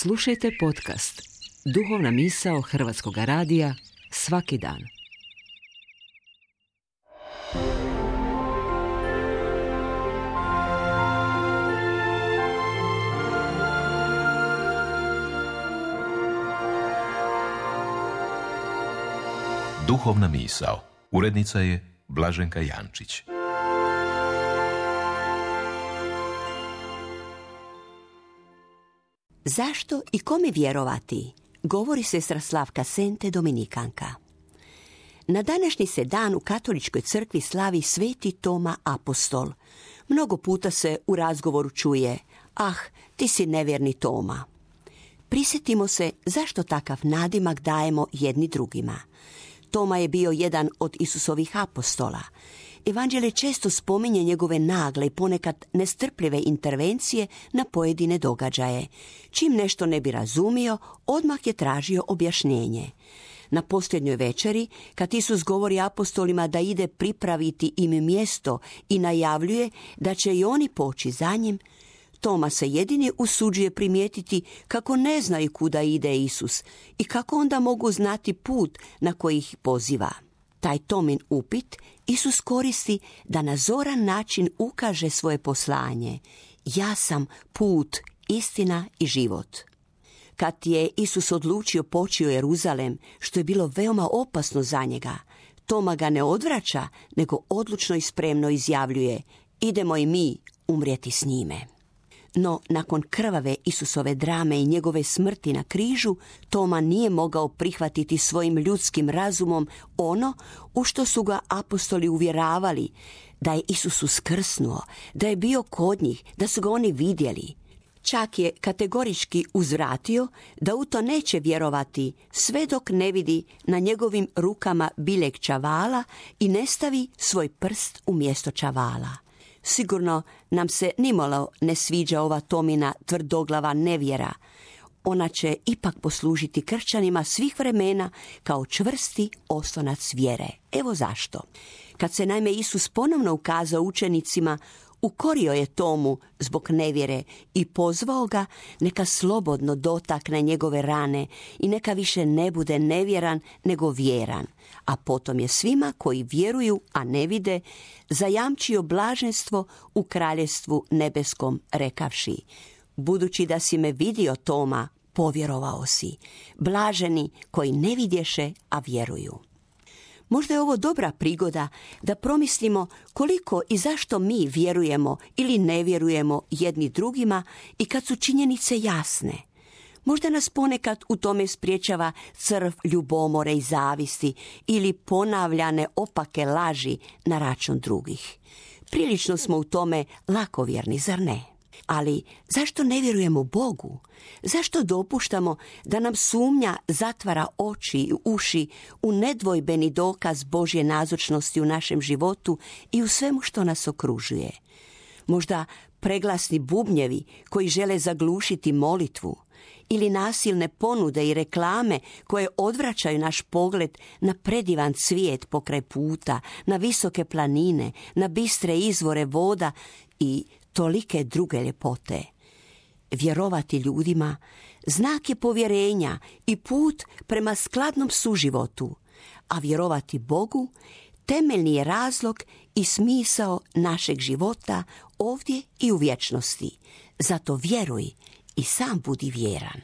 Slušajte podcast Duhovna misao Hrvatskog radija svaki dan. Duhovna misao. Urednica je Blaženka Jančić. Zašto i kome vjerovati? Govori sestra Slavka Sente, dominikanka. Na današnji se dan u katoličkoj crkvi slavi Sveti Toma Apostol. Mnogo puta se u razgovoru čuje: "Ah, ti si nevjerni Toma." Prisjetimo se zašto takav nadimak dajemo jedni drugima. Toma je bio jedan od Isusovih apostola. Evanđelje često spominje njegove nagle i ponekad nestrpljive intervencije na pojedine događaje. Čim nešto ne bi razumio, odmah je tražio objašnjenje. Na posljednjoj večeri, kad Isus govori apostolima da ide pripraviti im mjesto i najavljuje da će i oni poći za njim, Toma se jedini usuđuje primijetiti kako ne znaju kuda ide Isus i kako onda mogu znati put na koji ih poziva. Taj Tomin upit Isus koristi da na zoran način ukaže svoje poslanje: "Ja sam put, istina i život." Kad je Isus odlučio poći u Jeruzalem, što je bilo veoma opasno za njega, Toma ga ne odvraća, nego odlučno i spremno izjavljuje: "Idemo i mi umrijeti s njime." No, nakon krvave Isusove drame i njegove smrti na križu, Toma nije mogao prihvatiti svojim ljudskim razumom ono u što su ga apostoli uvjeravali: da je Isus uskrsnuo, da je bio kod njih, da su ga oni vidjeli. Čak je kategorički uzvratio da u to neće vjerovati sve dok ne vidi na njegovim rukama biljeg čavala i ne stavi svoj prst umjesto čavala. Sigurno nam se nimalo ne sviđa ova Tomina tvrdoglava nevjera. Ona će ipak poslužiti kršćanima svih vremena kao čvrsti oslonac vjere. Evo zašto. Kad se naime Isus ponovno ukazao učenicima, ukorio je Tomu zbog nevjere i pozvao ga neka slobodno dotakne njegove rane i neka više ne bude nevjeran nego vjeran. A potom je svima koji vjeruju, a ne vide, zajamčio blaženstvo u kraljevstvu nebeskom, rekavši: "Budući da si me vidio, Toma, povjerovao si. Blaženi koji ne vidješe, a vjeruju." Možda je ovo dobra prigoda da promislimo koliko i zašto mi vjerujemo ili ne vjerujemo jedni drugima i kad su činjenice jasne. Možda nas ponekad u tome spriječava crv ljubomore i zavisti ili ponavljane opake laži na račun drugih. Prilično smo u tome lakovjerni, zar ne? Ali zašto ne vjerujemo Bogu? Zašto dopuštamo da nam sumnja zatvara oči i uši u nedvojbeni dokaz Božje nazočnosti u našem životu i u svemu što nas okružuje? Možda preglasni bubnjevi koji žele zaglušiti molitvu, ili nasilne ponude i reklame koje odvraćaju naš pogled na predivan cvijet pokraj puta, na visoke planine, na bistre izvore voda i tolike druge ljepote. Vjerovati ljudima znak je povjerenja i put prema skladnom suživotu, a vjerovati Bogu temeljni je razlog i smisao našeg života ovdje i u vječnosti. Zato vjeruj i sam budi vjeran.